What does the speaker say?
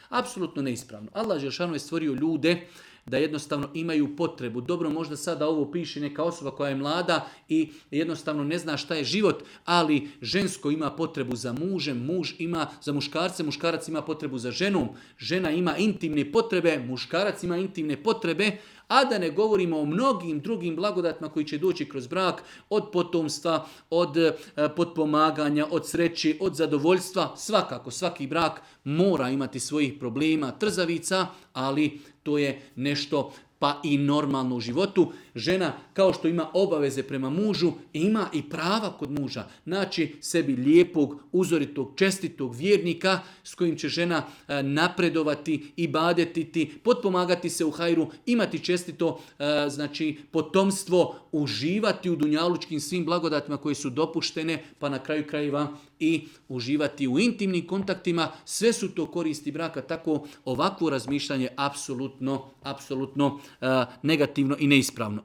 Apsolutno neispravno. Allah dželešanu je stvorio ljude da jednostavno imaju potrebu. Dobro, možda sada ovo piše neka osoba koja je mlada i jednostavno ne zna šta je život, ali žensko ima potrebu za mužem, muž ima za muškarce, muškarac ima potrebu za ženom, žena ima intimne potrebe, muškarac ima intimne potrebe, a da ne govorimo o mnogim drugim blagodatima koji će doći kroz brak, od potomstva, od potpomaganja, od sreće, od zadovoljstva. Svakako, svaki brak mora imati svojih problema, trzavica, ali to je nešto pa i normalno u životu. Žena, kao što ima obaveze prema mužu, ima i prava kod muža. Naći sebi lijepog, uzoritog, čestitog vjernika s kojim će žena napredovati, ibadetiti, potpomagati se u hajru, imati čestito potomstvo, uživati u dunjalučkim svim blagodatima koje su dopuštene, pa na kraju krajeva i uživati u intimnim kontaktima. Sve su to koristi braka, tako ovakvo razmišljanje apsolutno negativno i neispravno.